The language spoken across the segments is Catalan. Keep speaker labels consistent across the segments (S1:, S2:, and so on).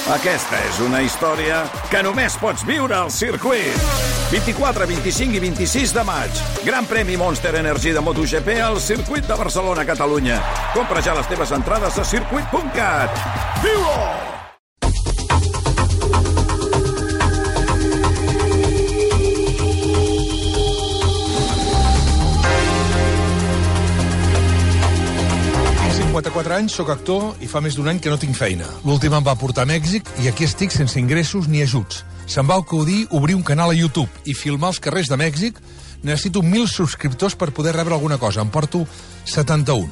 S1: Aquesta és una història que només pots viure al circuit. 24, 25 i 26 de maig. Gran premi Monster Energy de MotoGP al circuit de Barcelona, Catalunya. Compra ja les teves entrades a circuit.cat. Viu-ho!
S2: Tinc 54 anys, sóc actor i fa més d'un any que no tinc feina. L'últim em va portar a Mèxic i aquí estic sense ingressos ni ajuts. Se'm va acudir obrir un canal a YouTube i filmar els carrers de Mèxic. Necessito 1.000 subscriptors per poder rebre alguna cosa. Em porto 71.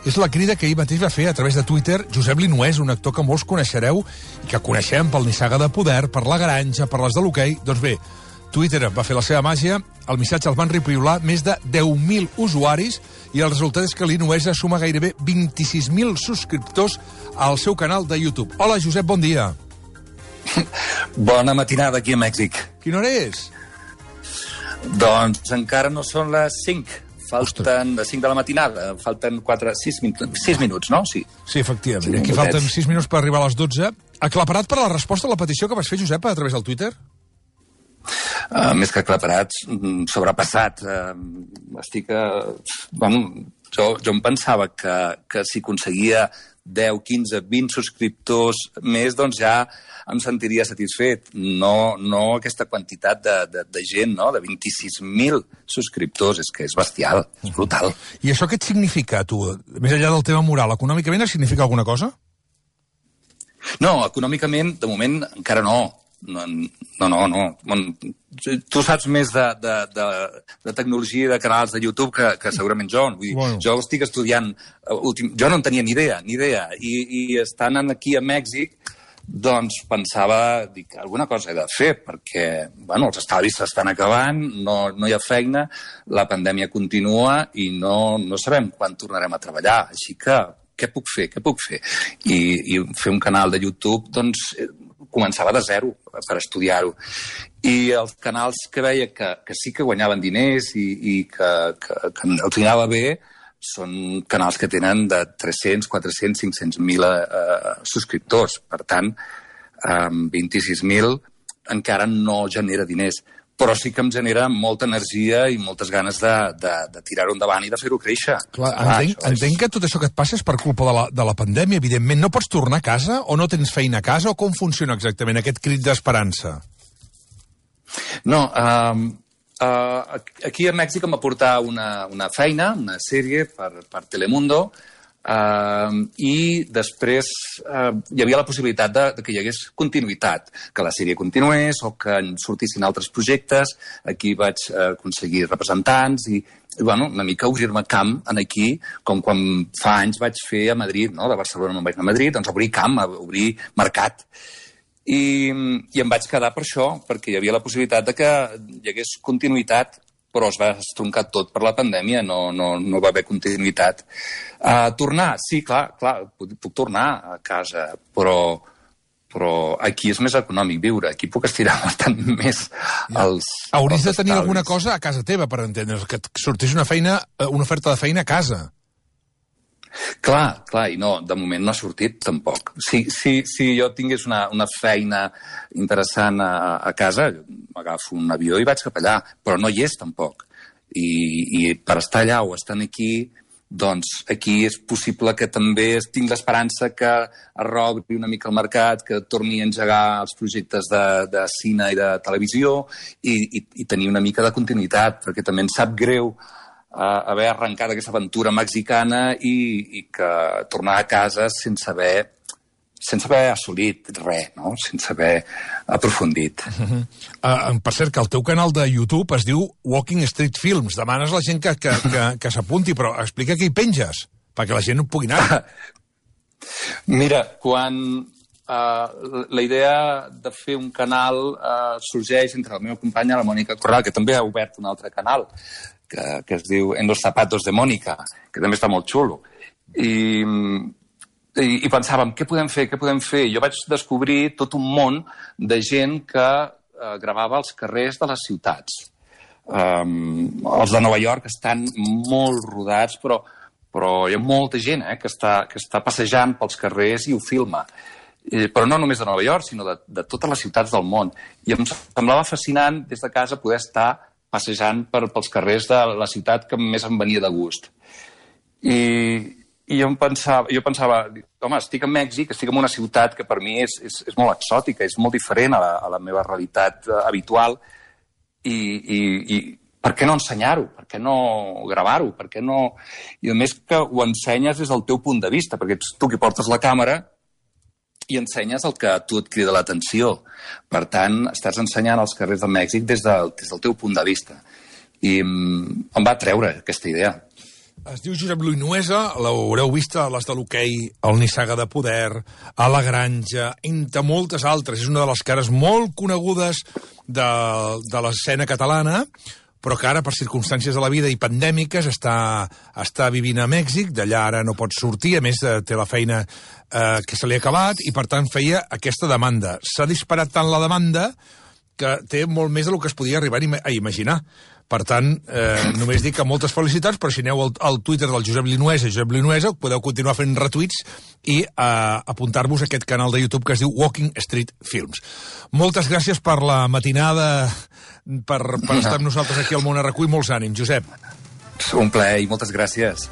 S2: És la crida que ahir mateix va fer a través de Twitter Josep Linués, un actor que molts coneixereu i que coneixem pel Nissaga de Poder, per La Granja, per les de l'hoquei. Doncs bé, Twitter va fer la seva màgia, el missatge el van repiolar més de 10.000 usuaris i el resultat és que l'Inuesa suma gairebé 26.000 subscriptors al seu canal de YouTube. Hola, Josep, bon dia.
S3: Bona matinada aquí a Mèxic.
S2: Quina hora és?
S3: Doncs encara no són les 5. Falten les 5 de la matinada. Falten 6 minuts, no? Sí.
S2: Sí, efectivament. Aquí falten 6 minuts per arribar a les 12. Aclaparat per a la resposta a la petició que vas fer, Josep, a través del Twitter?
S3: Més que aclaparats, sobrepassat. Estic... Jo em pensava que si aconseguia 10, 15, 20 subscriptors més, doncs ja em sentiria satisfet. No aquesta quantitat de gent, no? De 26.000 subscriptors. És que és bestial, és brutal.
S2: I això què et significa, tu? Més enllà del tema moral, econòmicament et significa alguna cosa?
S3: No, econòmicament, de moment, encara no. No. Tu saps més de tecnologia i de canals de YouTube que segurament jo. Vull dir, bueno. Jo estic estudiant... Jo no en tenia ni idea. I estant aquí a Mèxic, doncs pensava, dic, alguna cosa he de fer, perquè, bueno, els estalvis s'estan acabant, no hi ha feina, la pandèmia continua i no sabem quan tornarem a treballar. Així que, què puc fer? I fer un canal de YouTube, doncs... començava de zero per estudiar-ho. I els canals que veia que sí que guanyaven diners i que els anava bé són canals que tenen de 300, 400, 500.000 subscriptors. Per tant, 26.000 encara no genera diners. Però sí que em genera molta energia i moltes ganes de tirar-ho endavant i de fer-ho créixer.
S2: Clar, entenc que tot això que et passa és per culpa de la pandèmia, evidentment. No pots tornar a casa o no tens feina a casa o com funciona exactament aquest crit d'esperança?
S3: No, aquí a Mèxic em va portar una feina, una sèrie per Telemundo, i després hi havia la possibilitat que hi hagués continuïtat, que la sèrie continués o que en sortissin altres projectes. Aquí vaig aconseguir representants i bueno, una mica obrir-me camp aquí, com quan fa anys vaig fer a Madrid, no? De Barcelona no vaig anar a Madrid, doncs obrir camp, obrir mercat. I em vaig quedar per això, perquè hi havia la possibilitat de que hi hagués continuïtat, però es va estroncar tot per la pandèmia, no va haver continuïtat. Tornar, sí, clar, puc tornar a casa, però aquí és més econòmic viure, aquí puc estirar bastant més els
S2: Hauries de tenir alguna cosa a casa teva, per entendre's, que et sortís una oferta de feina a casa.
S3: Clar, i no, de moment no ha sortit tampoc. Si jo tingués una feina interessant a casa, m'agafo un avió i vaig cap allà, però no hi és tampoc. I per estar allà o estant aquí, doncs aquí és possible que també tinc l'esperança que arrogui una mica el mercat, que torni a engegar els projectes de cine i de televisió i tenir una mica de continuïtat, perquè també em sap greu haver arrencat aquesta aventura mexicana i que tornar a casa sense haver assolit res, no? Sense haver aprofundit.
S2: Per cert, que el teu canal de YouTube es diu Walking Street Films. Demanes a la gent que s'apunti, però explica què hi penges, perquè la gent no pugui anar.
S3: Mira, quan la idea de fer un canal sorgeix entre la meva companya, la Mònica Corral, que també ha obert un altre canal, que es diu En los zapatos de Mónica, que també està molt xulo. I pensàvem, què podem fer? Jo vaig descobrir tot un món de gent que gravava als carrers de les ciutats. Els de Nova York estan molt rodats, però hi ha molta gent que està passejant pels carrers i ho filma. però no només de Nova York, sinó de totes les ciutats del món. I em semblava fascinant des de casa poder estar passejant pels carrers de la ciutat que més em venia de gust. I jo pensava, home, estic a Mèxic, estic en una ciutat que per mi és molt exòtica, és molt diferent a la meva realitat habitual, i per què no ensenyar-ho? Per què no gravar-ho? Per què no... I a més que ho ensenyes des del teu punt de vista, perquè ets tu qui portes la càmera i ensenyes el que a tu et crida l'atenció. Per tant, estàs ensenyant els carrers de Mèxic des del teu punt de vista. I em va treure aquesta idea.
S2: Es diu Josep Luis Nuesa, l'haureu vist a les de l'hoquei, al Nissaga de Poder, a La Granja, entre moltes altres. És una de les cares molt conegudes de l'escena catalana, però que ara, per circumstàncies de la vida i pandèmiques, està vivint a Mèxic, d'allà ara no pot sortir, a més té la feina que se li ha acabat, i per tant feia aquesta demanda. S'ha disparat tant la demanda que té molt més del que es podia arribar a imaginar. Per tant, només dic que moltes felicitats, però si aneu al Twitter del Josep Linuesa, podeu continuar fent retuits i apuntar-vos a aquest canal de YouTube que es diu Walking Street Films. Moltes gràcies per la matinada, per estar amb nosaltres aquí al Món RQ i molts ànims, Josep.
S3: Un plaer i moltes gràcies.